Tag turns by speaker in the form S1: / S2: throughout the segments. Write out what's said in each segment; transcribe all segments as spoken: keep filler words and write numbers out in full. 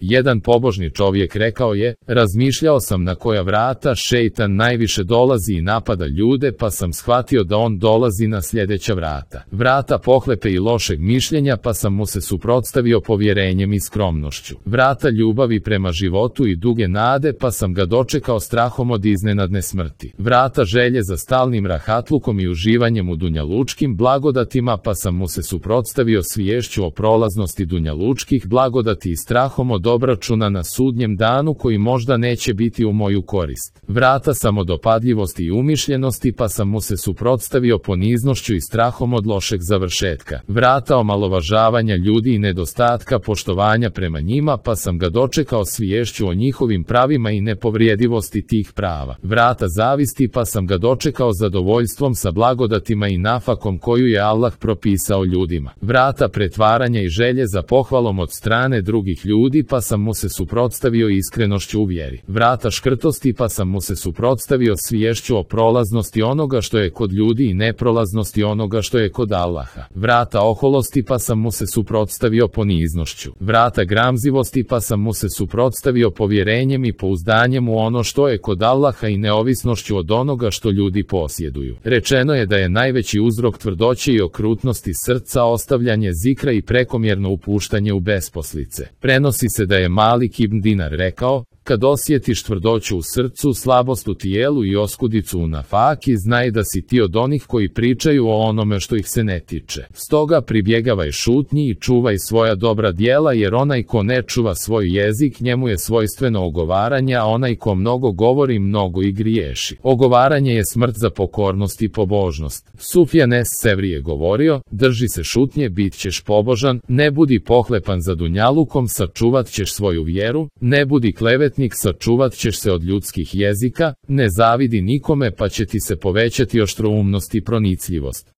S1: Jedan pobožni čovjek rekao je, razmišljao sam na koja vrata šejtan najviše dolazi i napada ljude, pa sam shvatio da on dolazi na sljedeća vrata. Vrata pohlepe i lošeg mišljenja, pa sam mu se suprotstavio povjerenjem i skromnošću. Vrata ljubavi prema životu i duge nade, pa sam ga dočekao strahom od iznenadne smrti. Vrata želje za stalnim rahatlukom i uživanjem u dunjalučkim blagodatima, pa sam mu se suprotstavio sviješću o prolaznosti dunjalučkih blagodati i strahom od obračuna na sudnjem danu koji možda neće biti u moju korist. Vrata samodopadljivosti i umišljenosti, pa sam mu se suprotstavio poniznošću i strahom od lošeg završetka. Vrata omalovažavanja ljudi i nedostatka poštovanja prema njima, pa sam ga dočekao sviješću o njihovim pravima i nepovrijedivosti tih prava. Vrata zavisti, pa sam ga dočekao zadovoljstvom sa blagodatima i nafakom koju je Allah propisao ljudima. Vrata pretvaranja i želje za pohvalom od strane drugih ljudi, pa sam mu se suprotstavio iskrenošću u vjeri. Vrata škrtosti, pa sam mu se suprotstavio sviješću o prolaznosti onoga što je kod ljudi i neprolaznosti onoga što je kod Allaha. Vrata oholosti, pa sam mu se suprotstavio poniznošću. Vrata gramzivosti, pa sam mu se suprotstavio povjerenjem i pouzdanjem u ono što je kod Allaha i neovisnošću od onoga što ljudi posjeduju. Rečeno je da je najveći uzrok tvrdoće i okrutnosti srca ostavljanje zikra i prekomjerno upuštanje u besposlice. Prenosi se da je Malik ibn Dinar rekao, kad osjetiš tvrdoću u srcu, slabost u tijelu i oskudicu u nafaki, znaj da si ti od onih koji pričaju o onome što ih se ne tiče. Stoga pribjegavaj šutnji i čuvaj svoja dobra djela, jer onaj ko ne čuva svoj jezik, njemu je svojstveno ogovaranje, a onaj ko mnogo govori, mnogo i griješi. Ogovaranje je smrt za pokornost i pobožnost. Sufjan es-Sevri je govorio, drži se šutnje, bit ćeš pobožan, ne budi pohlepan za dunjalukom, sačuvat ćeš svoju vjeru, ne budi klevet, sačuvat ćeš se od ljudskih jezika, ne zavidi nikome, pa će ti se povećati oštroumnost i pronicljivost.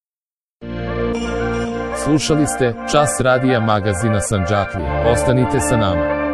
S1: Slušali ste Čas radija magazina Sandžaklija. Ostanite sa nama.